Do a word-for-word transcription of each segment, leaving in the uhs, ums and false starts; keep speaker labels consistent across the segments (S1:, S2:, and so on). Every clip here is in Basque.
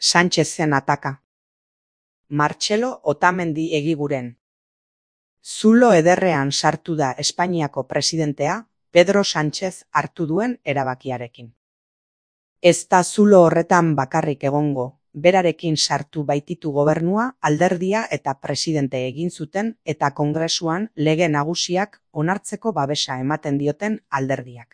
S1: Sánchezen ataka. Martxelo Otamendi Egiguren. Zulo ederrean sartu da Espainiako presidentea Pedro Sánchez hartu duen erabakiarekin. Ez da zulo horretan bakarrik egongo, berarekin sartu baititu gobernua, alderdia eta presidente egin zuten eta kongresuan lege nagusiak onartzeko babesa ematen dioten alderdiak.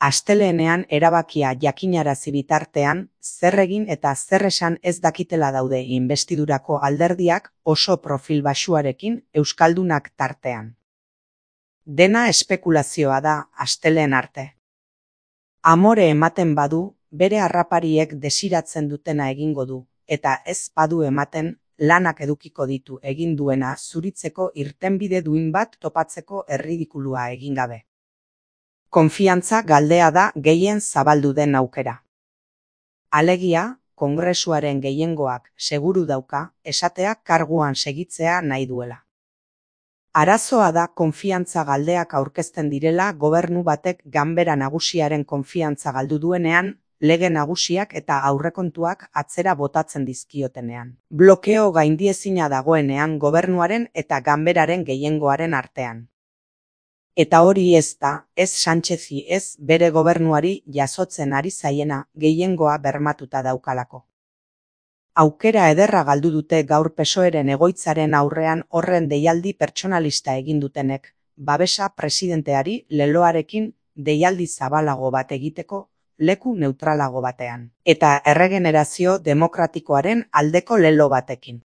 S1: Asteleenean erabakia jakinarazi bitartean, zer egin eta zer esan ez dakitela daude inbestidurako alderdiak oso profil baxuarekin euskaldunak tartean. Dena espekulazioa da asteleen arte. Amore ematen badu, bere harrapariek desiratzen dutena egingo du, eta ez badu ematen, lanak edukiko ditu egin duena zuritzeko irtenbide duin bat topatzeko erridikulua egin gabe. Konfiantza galdea da gehien zabaldu den aukera. Alegia, kongresuaren gehiengoak seguru dauka esatea karguan segitzea nahi duela. Arazoa da konfiantza galdeak aurkezten direla gobernu batek ganbera nagusiaren konfiantza galdu duenean, lege nagusiak eta aurrekontuak atzera botatzen dizkiotenean. Blokeo gaindiezina dagoenean gobernuaren eta ganberaren gehiengoaren artean. Eta hori ez da, ez Sánchezi ez bere gobernuari jasotzen ari zaiena gehiengoa bermatuta daukalako. Aukera ederra galdu dute gaur P S O E-ren egoitzaren aurrean horren deialdi pertsonalista egin dutenek, babesa presidenteari leloarekin deialdi zabalago bat egiteko leku neutralago batean, eta erregenerazio demokratikoaren aldeko lelo batekin.